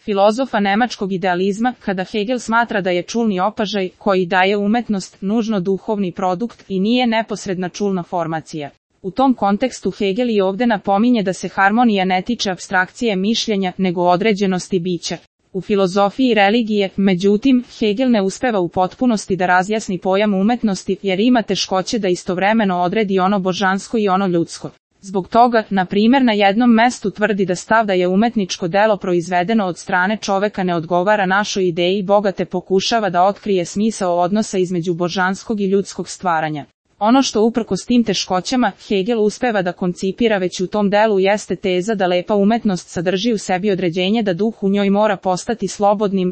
filozofa nemačkog idealizma, kada Hegel smatra da je čulni opažaj, koji daje umetnost, nužno duhovni produkt i nije neposredna čulna formacija. U tom kontekstu Hegel i ovde napominje da se harmonija ne tiče apstrakcije mišljenja, nego određenosti bića. U filozofiji religije, međutim, Hegel ne uspeva u potpunosti da razjasni pojam umetnosti, jer ima teškoće da istovremeno odredi ono božansko i ono ljudsko. Zbog toga, na primjer, na jednom mestu tvrdi da stav da je umetničko delo proizvedeno od strane čoveka ne odgovara našoj ideji Boga te pokušava da otkrije smisao odnosa između božanskog i ljudskog stvaranja. Ono što uprkos tim teškoćama Hegel uspeva da koncipira već u tom delu jeste teza da lepa umetnost sadrži u sebi određenje da duh u njoj mora postati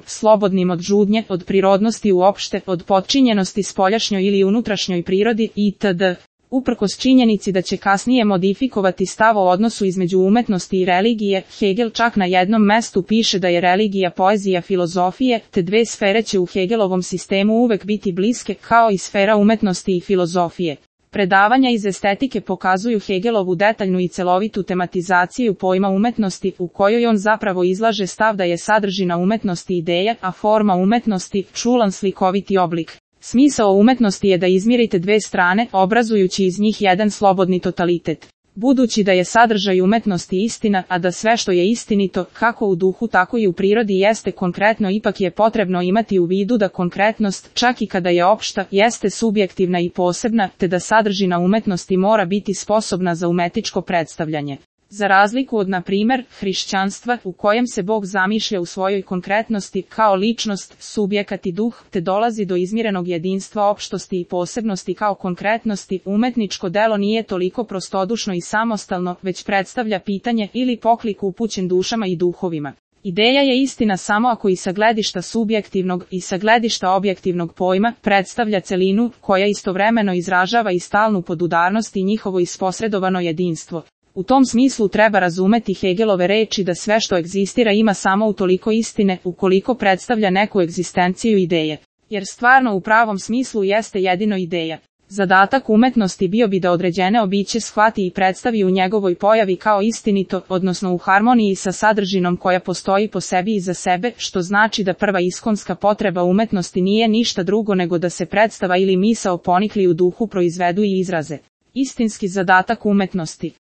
slobodnim od žudnje, od prirodnosti uopšte, od potčinjenosti spoljašnjoj ili unutrašnjoj prirodi itd. Uprkos činjenici da će kasnije modifikovati stav o odnosu između umetnosti i religije, Hegel čak na jednom mestu piše da je religija poezija filozofije, te dve sfere će u Hegelovom sistemu uvek biti bliske, kao i sfera umetnosti i filozofije. Predavanja iz estetike pokazuju Hegelovu detaljnu i celovitu tematizaciju pojma umetnosti, u kojoj on zapravo izlaže stav da je sadržina umetnosti ideja, a forma umetnosti čulan slikoviti oblik. Smisao umetnosti je da izmirite dve strane, obrazujući iz njih jedan slobodni totalitet. Budući da je sadržaj umetnosti istina, a da sve što je istinito, kako u duhu tako i u prirodi jeste konkretno, ipak je potrebno imati u vidu da konkretnost, čak i kada je opšta, jeste subjektivna i posebna, te da sadržina umetnosti mora biti sposobna za umetičko predstavljanje. Za razliku od, na primjer, hrišćanstva, u kojem se Bog zamišlja u svojoj konkretnosti kao ličnost, subjekat i duh, te dolazi do izmirenog jedinstva opštosti i posebnosti kao konkretnosti, umetničko delo nije toliko prostodušno i samostalno, već predstavlja pitanje ili poklik upućen dušama i duhovima. Ideja je istina samo ako i sa gledišta subjektivnog i sa gledišta objektivnog pojma predstavlja celinu, koja istovremeno izražava i stalnu podudarnost i njihovo isposredovano jedinstvo. U tom smislu treba razumeti Hegelove reči da sve što egzistira ima samo utoliko istine, ukoliko predstavlja neku egzistenciju ideje. Jer stvarno u pravom smislu jeste jedino ideja. Zadatak umetnosti bio bi da određene obiće shvati i predstavi u njegovoj pojavi kao istinito, odnosno u harmoniji sa sadržinom koja postoji po sebi i za sebe, što znači da prva iskonska potreba umetnosti nije ništa drugo nego da se predstava ili misao ponikli u duhu proizvedu i izraze. Istinski zadatak umetnosti